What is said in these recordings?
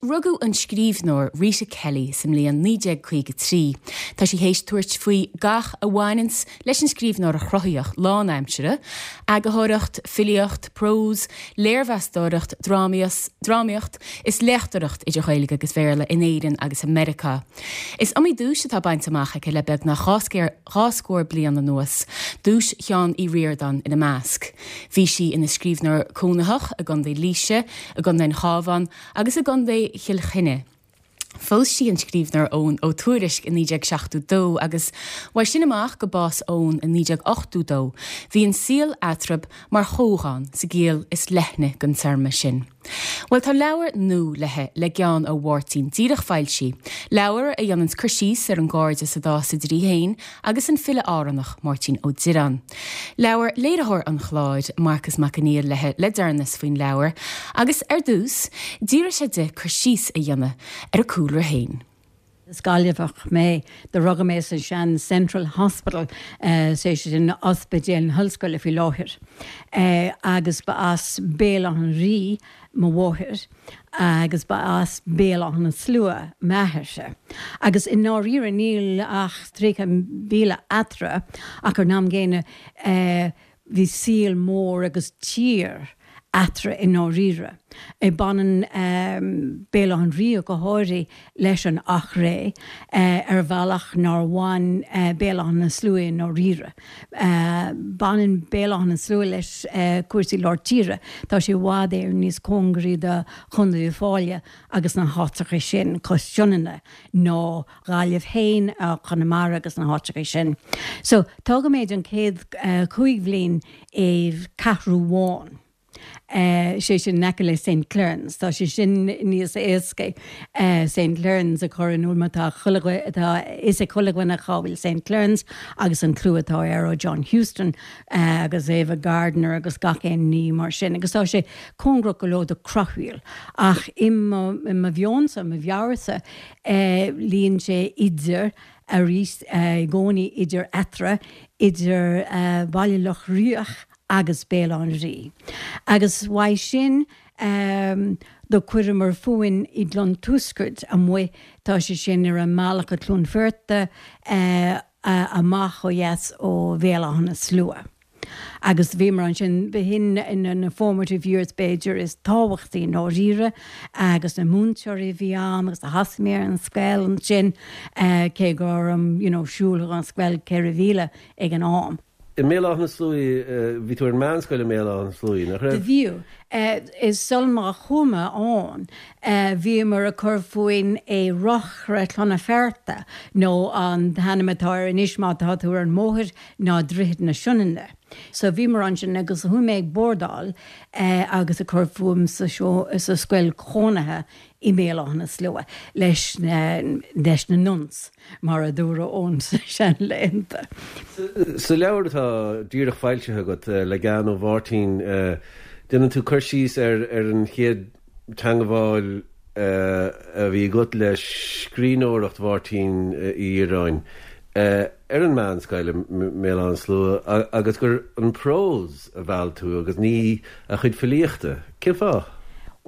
rugadh an scríbhneoir Rita Kelly sa mbliain 1953. Tá sí théis tabhairt faoi gach a bhaineanns leis an scríbhneoireacht chruthaitheach lánaimseartha, eagarthóireacht, filíocht, prós, léirmheastóireacht, drámaíocht is léachtóireacht idir Ghaeilge agus Bhéarla in Éirinn agus i Meiriceá. Is iomaí duais atá bainte amach aici le beagnach 20 scór bliain anuas, duais Sheáin Uí Ríordáin ina measc. Bhí sí ina scríbhneoir cónaitheach i gContae Laoise, i gContae an Chabháin agus i gContae Chill Chainnigh. Phós sí an scríbhneoir Eoghan Ó Tuairisg i 1972 agus, uaidh sin amach go bás Eoghan i 1982, bhí an saol eatarthu mar chomhdhán sa gciall is leithne den téarma sin. Bhuel, tá leabhar nua léi le Gean Ó Mháirtín díreach foilsithe, leabhar a dhéananns cur síos ar an gcairdeas a d'fhás idir í féin agus an file Árannach, Máirtín Ó Direáin. Labhair léiritheoir an chláir, Marcas Mac Conghail léi le deireanas faoin leabhar agus, ar dtús, d'fhiafraigh sé di cur síos a dhéanamh ar a cúlra féin. Is Gaillimheach mé. Do rugadh mé sa sean Central Hospital, sé sin ospidéal na hollscoile faoi láthair, agus ba as Béal Átha an Rí mo mháthair agus ba as Béal Átha na Slua m'athairse. Agus i ndáiríre níl ach 30 míle eatarthu ach ar an am gcéanna bhí saol mór agus tír eatarthu i ndáiríre. Baineann Béal Átha an Rí go háirithe leis an Eachréidh ar bhealach nár bhain Béal Átha na Slua i ndáiríre. Baineann Béal Átha na Slua leis cúrsaí lár tíre. Tá sé i bhfad Éireann níos cóngaraí do Chontae Uíbh Fhailí agus na háiteacha sin cois Sionainne ná Gaillimh féin, Conamara agus na háiteacha sin. So, tógadh mé don chéad chúig bhliain i gCeathrú Bhán. sé sin in aice le St Clearans. Tá sé sin níos éasca St Clearans a chur in iúl mar tá chuile tá fhios ag chuile dhuine cá bhfuil St Clearans agus an clú atá air ó John Huston agus Ava Gardner agus gach aon ní mar sin agus tá sé cóngarach go leor do Creachmhaoil ach i mo mheonsa, mo mheabhairsa luíonn sé idir arís i gcónaí idir eatarthu, idir Baile Locha Riach agus Béal Átha an Rí. Agus uaidh sin do chuireamar fúinn i gCluain Tuascaird amuigh, tá sé sin ar an mbealach go Cluain Fearta amach ó dheas ó Bhéal Átha na Slua. Agus bhíomar ansin, b'shin na formative years b'fhéidir is tábhachtaí i ndáiríre agus na múinteoirí a bhí ann agus do thosaigh mé ar an scoil ansin cé go raibh you know siúl chuig an scoil 4 mhíle ag an am. I mBéal Átha na Sluaighe, bhí tú ar an meánscoil i mBéal Átha na Sluaighe, nach raibh? Do bhíodh. Is sul má chuaigh mé ann, bhíomar ag cur fúinn i Reochaire Chlonafearta, nó an t-ainm atá air anois má tá tú ar an mbóthar ná Droichead na Sionainne. So bhíomar ansin agus chuaigh mé ag bordáil agus ag cur fúm sa scoil chónaithe i mBéal Átha na Slua leis na leis na nuns, mar a dúradh ón seanlaethanta. Sa leabhar atá díreach foilsithe agat le Gean Ó Mháirtín, déanann tú cur síos ar ar an chéad teangmháil a bhí agat le scríbhneoireacht Mháirtín Uí Dhireáin. ar an meánscoil i mBéal Átha na Slua agus gur an prós a mheall tú agus ní a chuid filíochta. Cén fáth?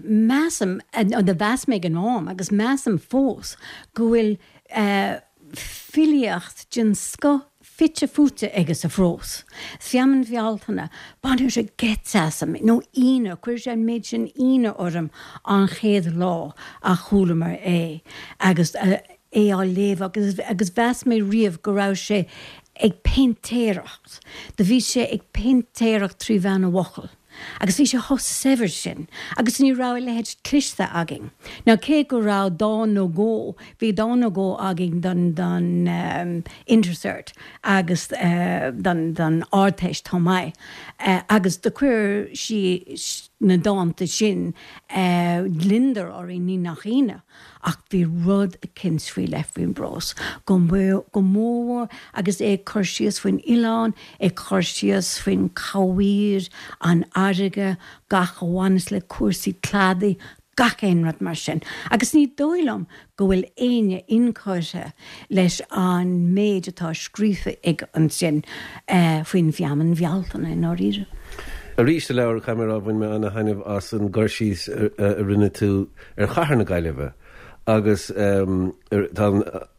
Measaim, nó do mheas mé ag an am agus measaim fós, go bhfuil filíocht den scoth fite fuaite aige sa phrós. Feamainn Bhealtaine, baineann sé geit asam, nó ionadh, chuir sé an méid sin ionadh orm an chéad lá a chualamar é agus é á léamh agus agus mheas mé riamh go raibh sé ag péintéireacht. Do bhí sé ag péintéireacht trí mheán na bhfocal. Agus bhí sé chomh saibhir sin agus ní raibh a leithéid cloiste againn. Now cé go raibh dán nó dhó, bhí dán nó dhó againn don don Intercert agus don don Ardteist chomh maith agus do chuir sí na dánta sin gliondar orainn ní nach ionadh. Ach bhí rud eicint faoi leith faoin bprós, go mórmhór agus é ag cur síos faoin oileán, ag cur síos faoin chamhaoir, an fharraige, gach a bhaineas le cúrsaí cladaigh, gach aon rud mar sin. Agus ní dóigh liom go bhfuil éinne inchurtha leis an méid atá scríofa aige ansin faoin bhfeamainn Bhealtaine, i ndáiríre. Arís sa leabhar, caithfidh mé a rá, bhain mé ana-thaitneamh as an gcur síos a rinne tú ar chathair na Gaillimhe agus tá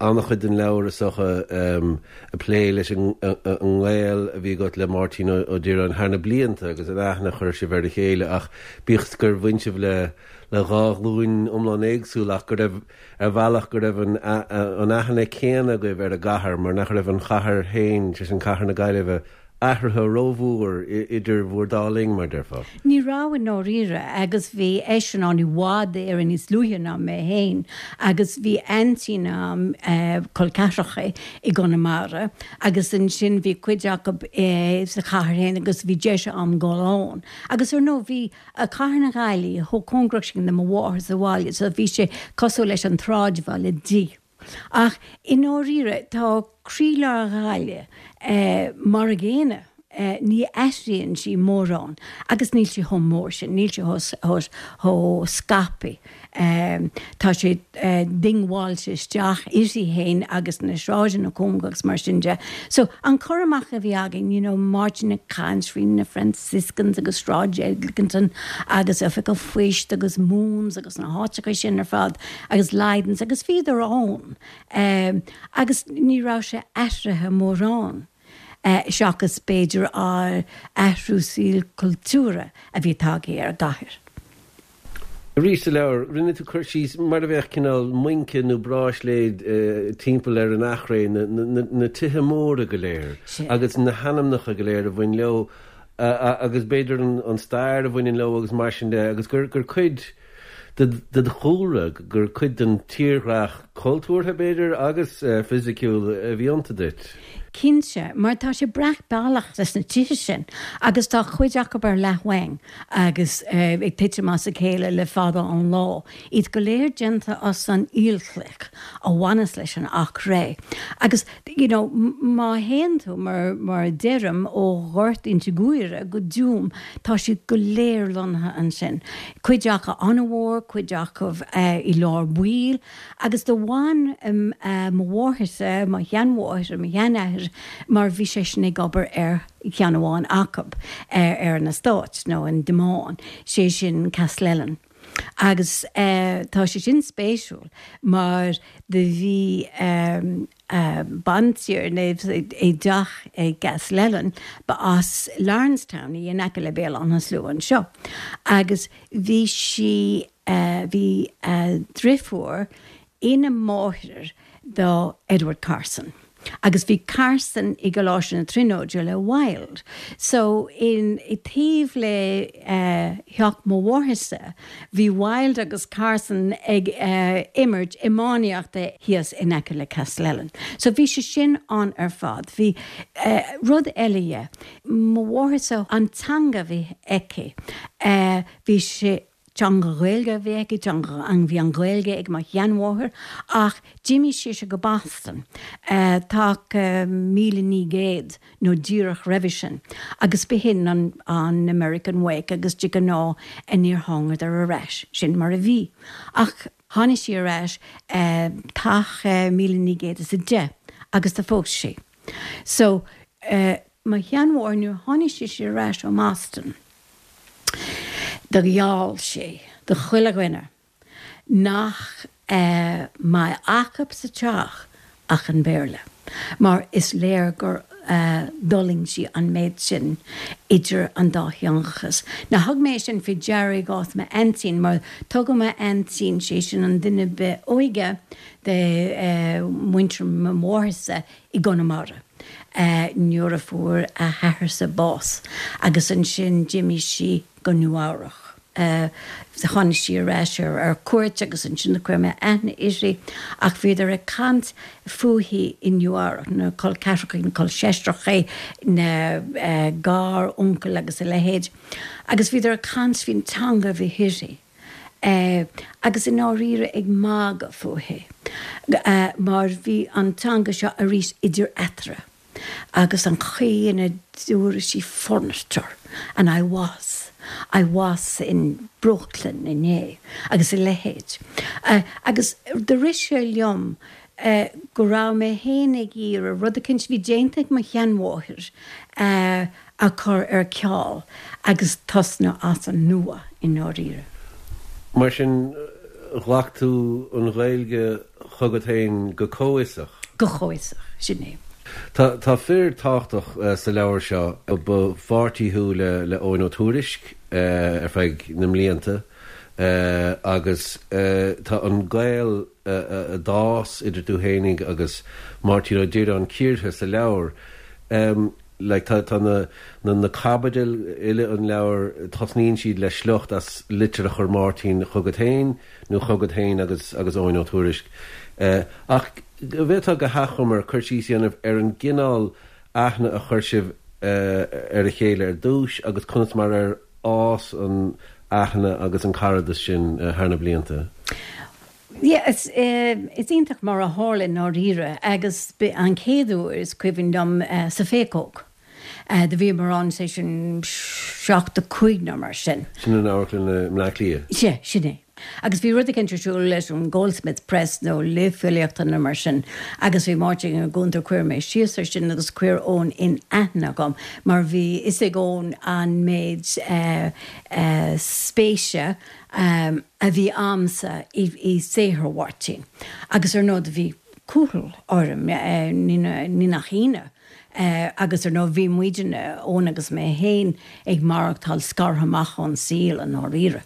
an-chuid den leabhar is dócha ag plé leis an ngaol a bhí agat le Máirtín Ó Direáin thar na blianta agus an aithne a chuir sibh ar a chéile ach bíodh gur bhain sibh le le dhá ghlúin iomlán éagsúil ach go raibh ar bhealach go raibh an an aithne céanna agaibh ar an gcathair mar nach raibh an chathair féin, sé sin cathair na Gaillimhe, athraithe rómhór idir bhur dá linn, mar déarfá. Ní raibh i ndáiríre, agus bhí eisean ann i bhfad Éireann níos luaithe ná mé féin, agus bhí aintín a'm, col ceathracha, i gConamara, agus ansin bhí cuid acu sa chathair féin agus bhí deis a'm dul ann. Agus ar ndóigh bhí cathair na Gaillimhe chomh cóngarach sin do mo mháthair sa bhaile so bhí sé cosúil leis an tsráidbhaile di. Ach i ndáiríre, tá croílár Ghaillimh mar a gcéanna, ní athraíonn sí mórán agus níl sí chomh mór sin, níl sí chomh scaipthe. Tá sé diongbháilte isteach uirthi féin agus na sráideanna cóngarach agus mar sin de. So, an cur amach a bhí againn, you know, Máirtín ag caint faoi na Franciscans agus Sráid Eglinton agus Oifig an Phoist agus Moon's agus na háiteacha sin ar fad, agus Lydon's agus bhíodar ann agus ní raibh sé athraithe mórán seachas b'fhéidir athrú saoil cultúrtha a bhí tagtha ar an gcathair. Arís sa leabhar, rinne tú cur síos mar a bheadh cineál muince nó bráisléad timpeall ar an Eachréidh, na tithe móra go léir agus na hainmneacha go léir a bhain leo agus b'fhéidir an stair a bhaineann leo agus mar sin de agus gur cuid de do chúlra, gur cuid den tírdhreach cultúrtha, b'fhéidir, agus fisiciúil a bhí iontu duit. Cinnte, mar tá sé breac bealach leis na tithe sin agus tá cuid acu ar leathmhaing agus ag titim as a chéile le fada an lá, iad go léir déanta as an aolchloich a bhaineas leis an Achréidh. Agus you know, má théann tú, mar, mar a deirim, ó Ghort Inse Guaire go Dúm, tá siad go léir lonnaithe ansin. Cuid acu an-mhór, cuid acu i lár baill, agus do bhain mo mháthairse, mo sheanmháthair, mo sheanathair, mar bhí seisean ag obair ar cheann amháin acu, ar an eastát, nó an demesne, sé sin Castlellen. Agus tá sé sin spéisiúil mar do bhí bantiarna i dteach i gCastlellen, ba as Lawrencetown í in aice le Béal Átha na Slua anseo, agus bhí sí, bhí a driofúr ina máthair do Edward Carson. Agus bhí Carson i gColáiste na Tríonóide le Wilde. So in taobh le theach mo mháthairse bhí Wilde agus Carson ag imirt iománaíochta thíos in aice le Castlellen. So bhí sé sin ann ar fad. Bhí rud eile dhe, mo mháthairse an teanga a bhí aici bhí sé Teanga Ghaeilge a bhí aici, teanga, bhí an Ghaeilge ag mo sheanmháthair ach d'imigh sise go Boston taca 1900 nó díreach roimhe sin agus b'shin an an American way agus de ghnáth níor thángadar ar ais, sin mar a bhí. Ach tháinig sí ar ais taca 1910 agus do phós sí. So mo sheanmháthair nuair a tháinig sise ar ais ó mBoston, Do gheall sí do chuile dhuine nach mbeadh acu sa teach ach an Béarla, mar is léir gur d'fhulaing sí an méid sin idir an dátheangachas. Now thug mé sin faoi deara i gcás m'aintín, mar tugadh m'aintín, sé sin an duine ba óige de mhuintir mo mháthairse i gConamara nuair a fuair a hathairse bás agus ansin d'imigh sí go Nua Eabhrach. Tháinig sí ar ais ar cuairt agus ansin do chuir mé aithne uirthi ach bhíodar ag caint fúithi i Nua Eabhrach, na col ceathracha, na col seisreacha, na gar-uncail agus a leithéid agus bhíodar ag caint faoin teanga a bhí uirthi. agus i ndáiríre ag magadh fúithi, mar bhí an teanga seo arís idir eatarthu, agus an chaoi ina dúradh sí furniture and I was, I was in Brooklyn inné, agus a leithéid. Agus do rith sé liom go raibh mé féin ag iarraidh rud eicínt a bhí déanta ag mo sheanmháthair. a chur ar ceal agus tosnú as an nua i ndáiríre. Mar sin, ghlac tú an Ghaeilge chugat féin go comhfhiosach? Go comhfhiosach, sin é. Tá tá fir tábhachtach sa leabhar seo. Ba pháirtí thú le le Eoin Ó Tuairisc ar feadh na mblianta agus tá an gaol a d'fhás idir tú fhéinig agus Máirtín Ó Direáin cíortha sa leabhar. Like tá tá na na na caibidil uile an leabhair, tosnaíonn siad le sliocht as litir a chuir Máirtín chugat féin nó chugat féin agus agus Eoin Ó Tuairisc. Ach an bhféadfá go hachomair cur síos a dhéanamh ar an gcineál aithne a chuir sibh ar a chéile ar dtús agus conas mar ar fhás an aithne agus an caradas sin thar na blianta? Yeah, is is iontach mar a tharla i ndáiríre agus b'é an chéad uair is cuimhin liom sa Phéacóg. Do bhíomar ann, sé sin 75 nó mar sin. Sin in amharclann i mBleá Cliath? Sea, sin é. Agus bhí rud eicínt ar siúl leis an Goldsmiths Press nó léamh filíochta nó mar sin agus bhí Máirtín ag an gcuntar, chuir mé síos air sin agus chuir Eoin in aithne agam mar bhí fhios ag Eoin an méid spéise a bhí a'msa i saothar Mháirtín. Agus ar ndóigh do bhí cúthail orm, ní nach ionadh, agus ar ndóigh bhí muidne, Eoin agus mé féin, ag maireachtáil scartha amach ón saol i ndáiríre.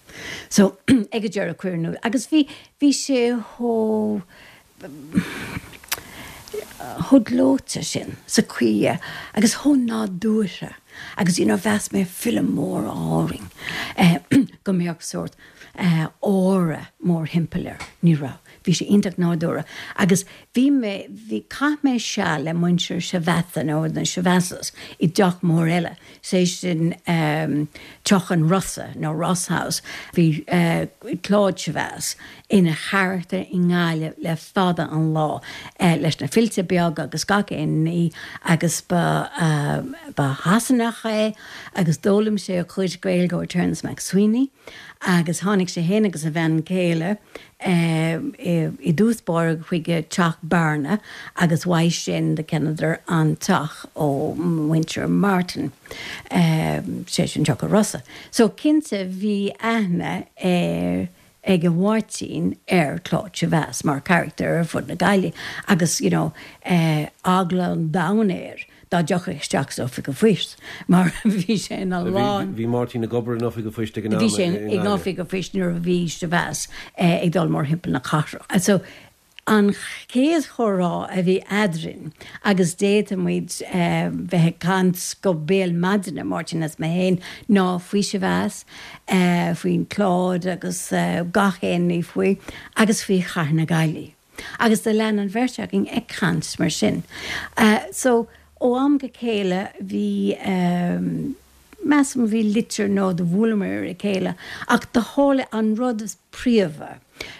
So, ag an deireadh cuireadh in iúl, agus bhí, bhí sé chomh, chomh gleoite sin sa chaoi agus chomh nádúrtha agus you know mheas mé file mór Árainn go mbeadh sórt aura mórthimpeall air. Ní raibh. Bhí sé iontach nádúrtha agus bhí mé, bhí, chaith mé seal le muintir Chavasse nó na Chavasses i dteach mór eile, sé sin Teach an Rosa nó Ross House. Bhí Claude Chavasse ina charachtar i nGaillimh le fada an lá leis na filltea beaga agus gach aon ní agus ba ba Shasanach é agus d'fhoghlaim sé a chuid Gaeilge ó Terence MacSwiney agus tháinig sé féin agus a bhean chéile i dtús báire chuig teach Bearna agus uaidh sin do cheannaíodar an teach ó mhuintir Martin, sé sin Teach an Rosa. So cinnte bhí aithne ar ag Máirtín ar Claude Chavasse mar charachtar ar fud na Gaillimhe agus you know eagla an domhain air dá dtiocfadh isteach san Oifig an Phoist mar bhí sé ina lán. Bhí Máirtín ag obair in Oifig an Phoist ag an am i Bhí sé in Oifig an Phoist nuair a bhí Chavasse ag dul mórthimpeall na cathrach. So An chéad chomhrá a bhí eadrainn, agus d'fhéadfadh muid bheith ag caint go béal maidine, Máirtín is mé féin, ná faoi Chavasse, faoin Claude agus gach aon ní faoi, agus faoi Chathair na Gaillimhe. Agus do lean an bheirt againn ag caint mar sin. So, ó am go chéile bhí, measaim, bhí litir nó do bhuaileamar ar a chéile, ach do tharla an rud is príomha,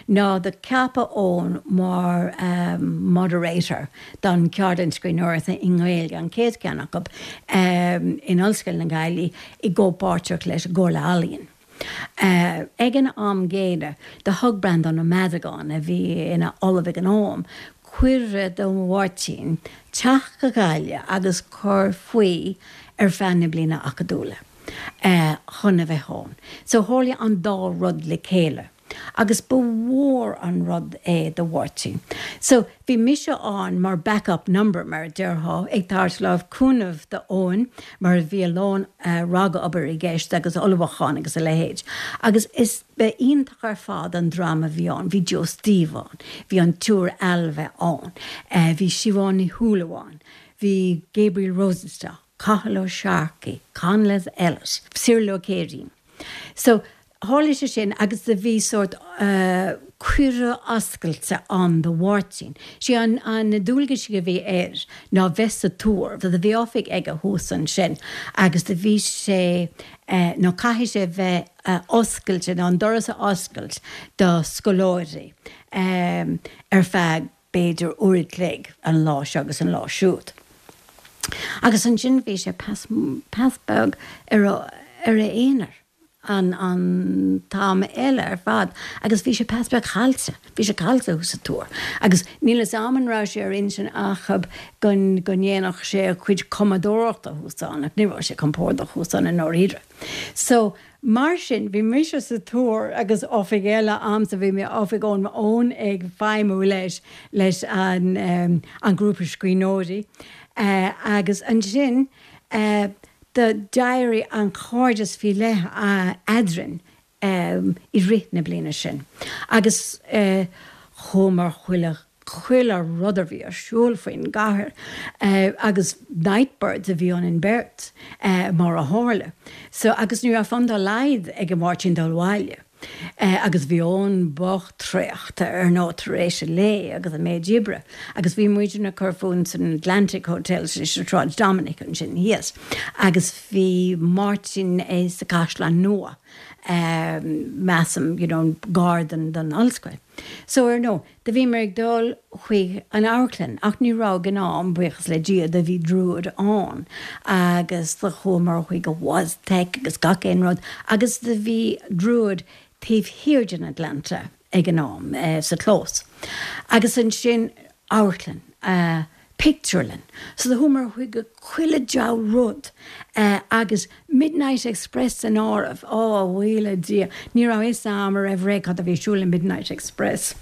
ná do ceapadh Eoin mar moderator don Cheardlann Scríbhneoireachta i nGaeilge, an chéad cheann acu in Ollscoil na Gaillimhe i gcomhpháirtíocht leis an gComhairle Ealaíon. Ag an am gcéanna, do thug Breandán Ó Madagáin, a bhí ina ollamh ag an am, cuireadh do Mháirtín teacht go Gaillimh agus cur faoi ar feadh na bliana acadúla. chun a bheith ann. So tharla an dá rud le chéile agus ba mhór an rud é do Mháirtín. So bhí mise ann mar back up number, mar a déarfá, ag tabhairt lámh cúnaimh do Eoin mar bhí a lán ragobair i gceist agus ullmhúchán agus a leithéid. Agus is ba iontach ar fad an dream a bhí ann, bhí Joe Steve ann, bhí an tSiúr Ailbhe ann, bhí Siobhán Ní Shúilleabháin, bhí Gabriel Rosenstock, Cathal Ó Searcaigh, Conleth Ellis, Cyril Ó Céirín. So, tharla sé sin agus do bhí sórt cuireadh oscailte ann do Mháirtín. Sé an, an, na dualgaisí a bhí air ná bheith sa Túr, do bhí oifig aige thuas ansin agus do bhí sé, nó caithfidh sé bheith oscailte, nó an doras a oscailt do scoláirí ar feadh b'fhéidir uair a chloig an lá seo agus an lá siúd. Agus ansin bhí sé pas, pas beag ar a, ar a aonar. an an t-am eile ar fad agus bhí sé pas beag caillte, bhí sé caillte thuas sa túr agus níl 'fhios a'm an raibh sé ar intinn acub go go ndéanfadh sé a chuid cumadóireachta thuas ann ach ní raibh sé compordach thuas ann i ndáiríre. So, mar sin, bhí mise sa túr agus oifig eile a'msa, bhí mé oifig Eoin Eoin ag feidhmiú leis leis an an grúpa scríbhneoirí agus ansin eh, Do d'éirigh an cairdeas faoi leith eadrainn i rith na bliana sin agus chuamar chuile chuile rud a bhí ar siúl faoin gcathair agus night birds a bhí ionainn beirt mar a tharla. So agus ní raibh fonn dá laghad ag Máirtín dul abhaile. Agus bhí Eoin bocht traochta ar ndóigh tar éis an lae agus an méid oibre agus bhí muidne ag cur fúinn san Atlantic Hotel sa Sráid Dominic ansin thíos agus bhí Máirtín sa Caisleán Nua measaim you know gar don don ollscoil. So ar ndóigh Do bhíomar ag dul chuig an amharclann ach ní raibh ag an am, buíochas le Dia, do bhí Druid ann agus do chuamar chuig an Wozzeck agus gach aon rud agus do bhí Druid taobh thiar den Atlanta ag an am, sa chlós. Agus ansin amharclann. Pictiúrlann. So do chuamar chuig chuile diabhal rud agus Midnight Express san áireamh. Ó, a bhuí le Dia, ní raibh fhios a'm roimh ré cad a bhí ar siúl i Midnight Express.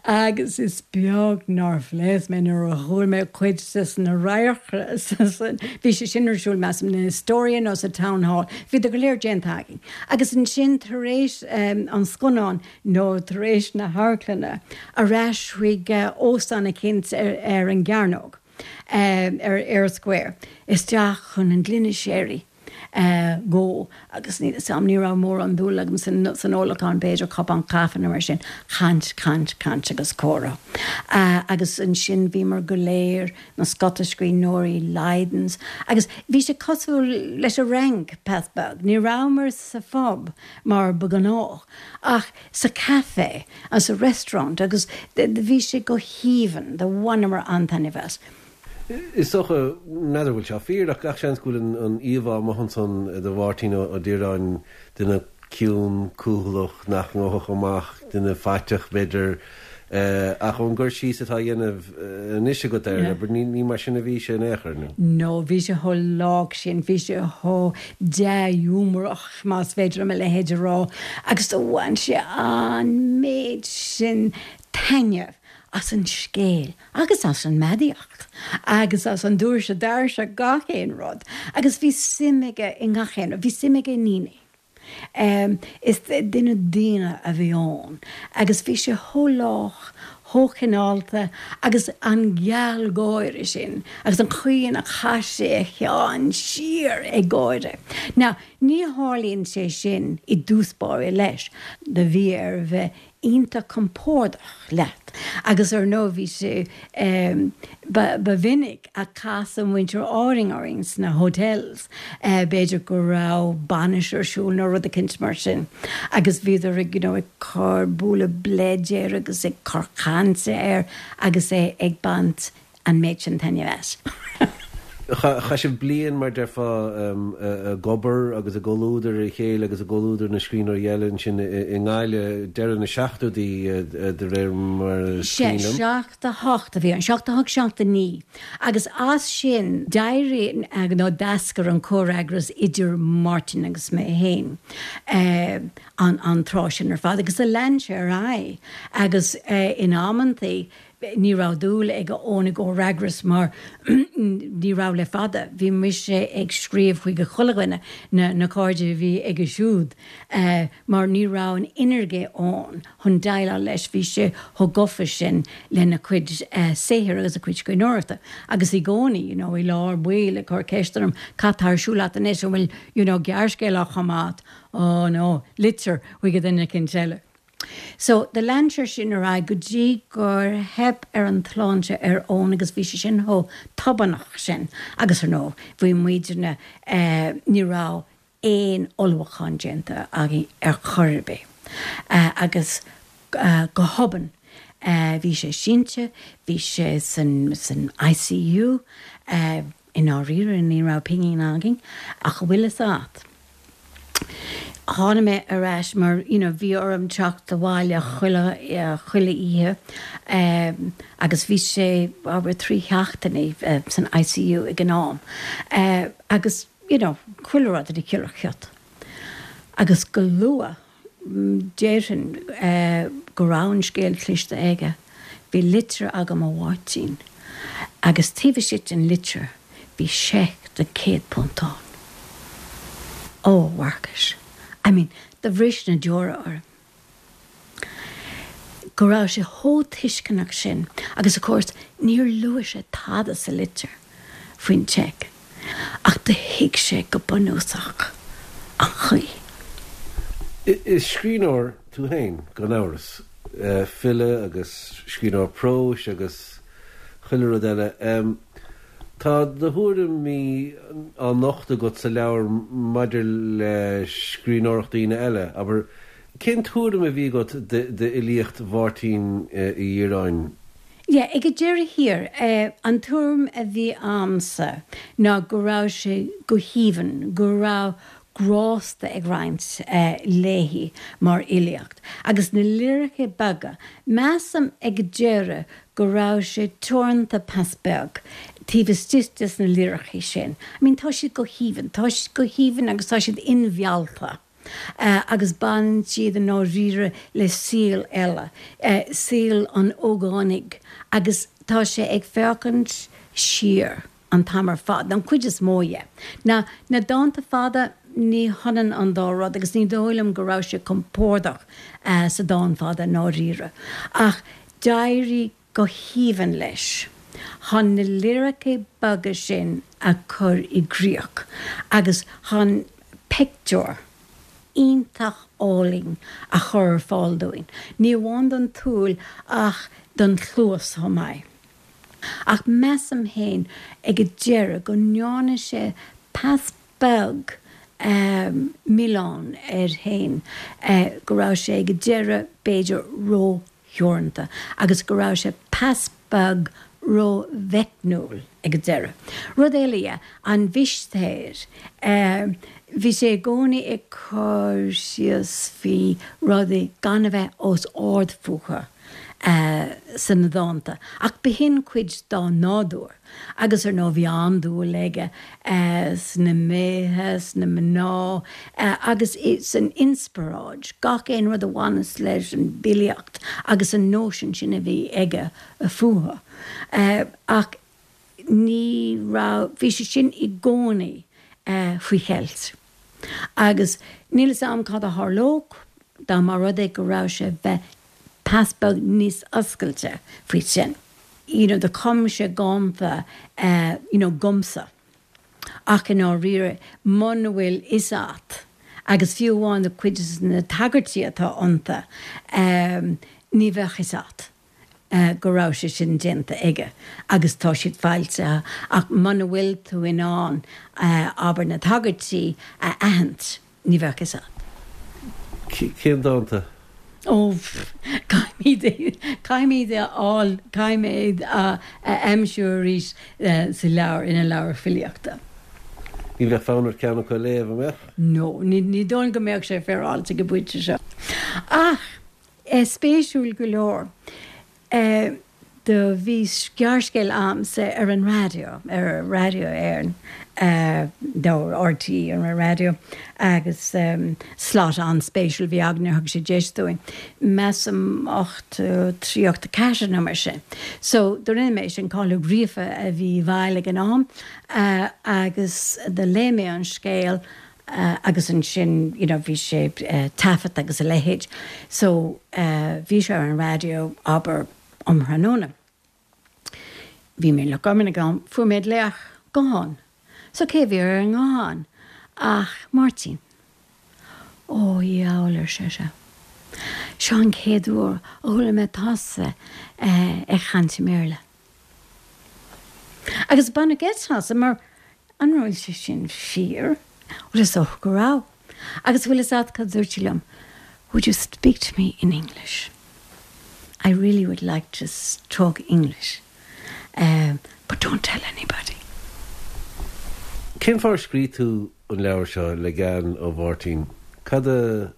Agus is beag nár phléasc mé nuair a chuala mé cuid des na radharcra san, bhí sé sin ar siúl, measaim, in Astoria nó sa Town Hall. Bhíodar go léir déanta againn. Agus ansin tar éis an scannáin, nó tar éis na hamharclainne, ar ais chuig óstán eicínt ar an gCearnóg, ar Eyre Square, isteach chun an gloine sherry go, agus níl 'fhios a'm, ní raibh mórán dúil agam san ólachán, b'fhéidir cupán caife nó mar sin, caint, caint, caint agus comhrá. Agus ansin bhíomar go léir, na scata scríbhneoirí, Lydons, agus bhí sé cosúil leis an Fhrainc, pas beag, ní rabhamar sa phub, mar ba ghnách, ach sa café agus sa restaurant agus bhí sé go haoibhinn, do bhaineamar an-taitneamh as. Is dócha, n'fheadar bhfuil seo fíor, ach gach seans go bhfuil an íomhá amuigh ansan de Mháirtín Ó Direáin, duine ciúin, cúthaileach, nach ngabhfadh amach, duine faiteach b'fhéidir, Ach ón gcur síos atá á dhéanamh anois agat air, abair, ní mar sin a bhí sé in aon chor, nó? No, bhí sé chomh lách sin, bhí sé chomh dea-ghiúmarach, más féidir liom a leithéid a rá, agus do bhain sé an méid sin taitneamh as an scéal agus as an mbeadaíocht agus as an doirse dairse, gach aon rud. Agus bhí suim aige i ngach aon rud, bhí suim aige i ndaoine. Is duine daonna a bhí ann agus bhí sé chomh lách, chomh cineálta agus an gealgháire sin agus an chaoi ina chaith sé a cheann siar ag gáire. Now, ní tharlaíonn sé sin i dtús báire leis. Do bhí air a bheith iontach compordach leat agus ar ndóigh bhí sé, ba mhinic a casadh muintir Árainn orainn sna hotels, b'fhéidir go raibh bainis ar siúl nó rud eicínt mar sin agus bhíodar ag you know ag cur, bualadh bleid air agus ag cur cainte air agus é ag baint an méid sin taitneamh as. Chaith sibh bliain, mar déarfá, ag obair agus i gcomhluadar a chéile agus i gcomhluadar na scríbhneoirí eile ansin i nGaillimh, deireadh na seachtóidí de réir mar is cuimhin liom. Sea, 78 a bhí ann, 78, 79. Agus as sin d'éirigh nó d'eascair an comhfhreagras idir Máirtín agus mé féin an tráth sin ar fad agus do lean sé ar aghaidh agus in amantaí Ní raibh dúil ag Eoin i gcomhfhreagras mar ní raibh le fada. Bhí mise ag scríobh chuig chuile dhuine, na cairde a bhí aige siúd, mar ní raibh an energy ann chun déileáil leis. Bhí sé chomh gafa sin lena chuid saothair agus a chuid scríbhneoireachta. Agus i gcónaí, you know, i lár baill ag cur ceist orm, cad tá ar siúl a't anois, an bhfuil, you know, gearrscéal á chumadh a't? Oh no, litir chuig duine eicínt eile. So, do lean sé sin ar aghaidh go dtí gur theip ar an tsláinte ar Eoin agus bhí sé sin chomh tobannach sin agus ar ndóigh bhí muidne, eh, ní raibh aon ullmhúchán déanta againn ar chor ar bith. Eh, agus, eh, go hobann, eh, bhí sé sínte, bhí sé san, san ICU, eh,. I ndáiríre ní raibh pingin againn ach an bhfuil fhios a't, tháinig mé ar ais mar you know bhí orm teacht abhaile chuile, chuile oíche agus bhí sé abair 3 sheachtainí san ICU ag an am agus you know chuile rud ina chiorrach Agus go luath déarfainn go raibh an scéal cloiste aige. Bhí litir agam ó Mháirtín agus taobh istigh den litir bhí seic de £100 ann. Ó, a Mharcais, I mean, do bhris na deora orm. Go raibh sé chomh tuisceanach sin agus of course níor luaigh sé tada sa litir faoin tseic ach do thuig sé go bunúsach an chaoi. Is scríbhneoir tú féin, gan amhras. File agus scríbhneoir próis agus chuile rud eile. Tá do thuairimí á nochtadh agat sa leabhar maidir le scríbhneoireacht daoine eile, abair. Cén tuairim a bhí agat d'fhilíocht Mháirtín Uí Dhireáin? Yeah, ag an deireadh thiar, an tuairim a bhí a'msa ná go raibh sé go haoibhinn, go raibh grásta ag roinnt léi mar fhilíocht. Agus na liricí beaga, measaim ag an deireadh go raibh sé teoranta pas beag taobh istigh des na liricí sin. I mean tá siad go haoibhinn, tá siad go haoibhinn agus tá siad inmheallta agus baineann siad i ndáiríre le saol eile, saol an ógánaigh agus tá sé ag féachaint siar an t-am ar fad, an chuid is mó dhe. Now, na dánta fada, ní hionann an dá rud agus ní dóigh liom go raibh sé compordach sa dán fada i ndáiríre. Ach d'éirigh go haoibhinn leis chun na liricí beaga sin a chur i gcríoch agus chun pictiúr iontach álainn a chur ar fáil dúinn, ní amháin don tsúil ach don chluas chomh maith. Ach measaim féin ag an deireadh go ndearna sé pas beag milleán air féin go raibh sé ag an deireadh b'fhéidir ró-theoranta agus go raibh sé pas beag ró-mheicniúil ag an deireadh. Rud eile dhe, an mhistéir. Bhí sé i gcónaí ag cur síos faoi rudaí gan a bheith os ard fúthu. sna dánta, ach b'shin cuid dá nádúr. Agus ar ndóigh bhí an-dúil aige sna méithe, sna mná agus san inspioráid, gach aon rud a bhaineas leis an bhfilíocht agus an nóisean sin a bhí aige fúthu. Ach ní raibh, bhí sé sin i gcónaí faoi cheilt. Agus níl 'fhios a'm cad a tharlódh dá mba rud é go raibh sé bheith pas beag níos oscailte faoi sin. You know, do chum sé dánta, you know, dhomsa. Ach i ndáiríre, muna bhfuil 'fhios a'at, agus fiú amháin do cuid de na tagairtí atá iontu, ní bheadh 'fhios a'at go raibh sé sin déanta aige agus tá siad foilsithe ach muna bhfuil tú in ann, abair, na tagairtí a aithint, Ní bheadh 'fhios a'at. Cén dánta? Ó, caithfimid é, caithfimid é a fháil, caithfidh mé é a aimsiú arís sa leabhar, ina leabhar filíochta. Ní bheadh fonn ort ceann acu a léamh, an mbeadh? No, ní, ní dóigh liom go mbeadh sé féaráilte ag an bpointe seo. Ach, spéisiúil go leor, Do bhí gearrscéal a'msa ar an raidió, ar Raidió Éireann, nó RTÉ ar an raidió, agus slot an-spéisiúil a bhí againn, thug sé deis dúinn, measaim 83, 84 nó mar sin. So, do rinne mé sin, Cathal Ó Gríofa a bhí i bhfeighil ag an am, agus do léigh mé an scéal agus ansin, you know, bhí sé taifeadta agus a leithéid. So, bhí sé ar an raidió, abair, um thráthnóna. Bhí mé i Loch Garman ag an am, fuair mé glaoch gutháin. So cé a bhí ar an nguthán ach Máirtín. Ó, a dhiabhail, ar seisean. Seo an chéad uair a chuala mé tusa ag caint i mBéarla. Agus baineadh geit asam mar an raibh sé sin fíor? Bhuel is dócha go raibh. Agus bhfuil fhios a't cad a dúirt sé liom? Would you speak to me in English? I really would like to talk English but don't tell anybody. Cén fáth ar scríobh tú an leabhar seo le gean ó Mháirtín? Cad a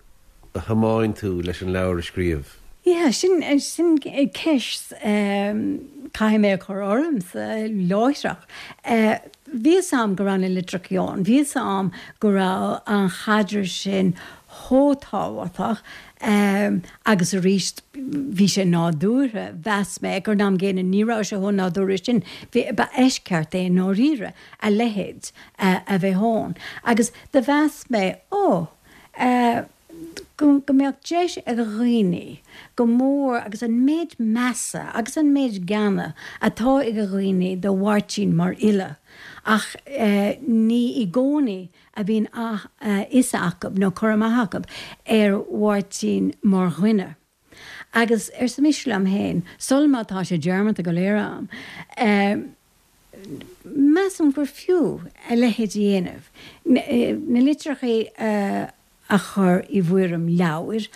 thiomáin tú leis an leabhar a scríobh? Yeah, sin, sin ceist caithfidh mé a chur ormsa láithreach. Bhí fhios a'm go raibh na litreachaí ann, bhí fhios a'm go raibh an chaidreamh sin chomh tábhachtach agus arís bhí sé nádúrtha, mheas mé, ag an am gcéanna ní raibh sé chomh nádúrtha sin, bhí, ba eisceacht é i ndáiríre a leithéid a bheith ann agus do mheas mé, ó, go mbeadh deis ag dhaoine go mór agus an méid measa agus an méid geana atá ag dhaoine do Mháirtín mar fhile ach ní i gcónaí a bhíonn a fhios acu nó cur amach acu ar Mháirtín mar dhuine. Agus arsa mise liom féin, sul má tá sé dearmadta go léir a'm, measaim gur fiú a leithéid a dhéanamh, na litreachaí a chur i bhfoirm leabhair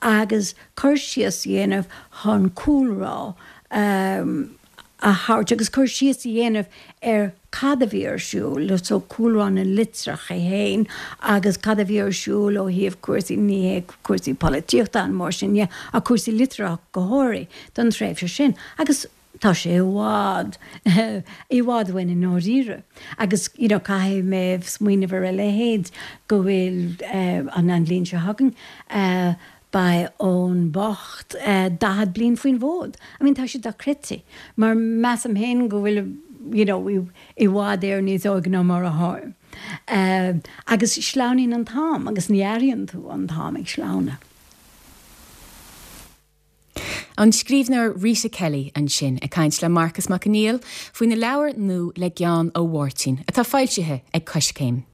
agus cur síos a dhéanamh chun cúlra a thabhairt agus cur síos a dhéanamh ar cad a bhí ar siúl, so cúlra na litreach é féin agus cad a bhí ar siúl ó thaobh cúrsaí, ní hé cúrsaí polaitíochta nó mar sin dhe, ach cúrsaí liteartha go háirithe don tréimhse sin. Agus tá sé i bhfad, i bhfad uainn i ndáiríre. Agus you know caithfidh mé smaoineamh ar a leithéid go bhfuil an an bhliain seo chugainn, Beidh Eoin bocht 40 bliain faoin bhfód. I mean tá sé dochreidte mar measaim féin go bhfuil you know i bhfad Éireann níos óige ná mar atáim. Agus sleamhnaíonn an t-am agus ní airíonn tú an t-am ag sleamhnadh. An scríbhneoir Rita Kelly ansin ag caint le Marcas Mac Conghail faoina leabhar nua Le Gean ó Mháirtín atá foilsithe ag Coiscéim.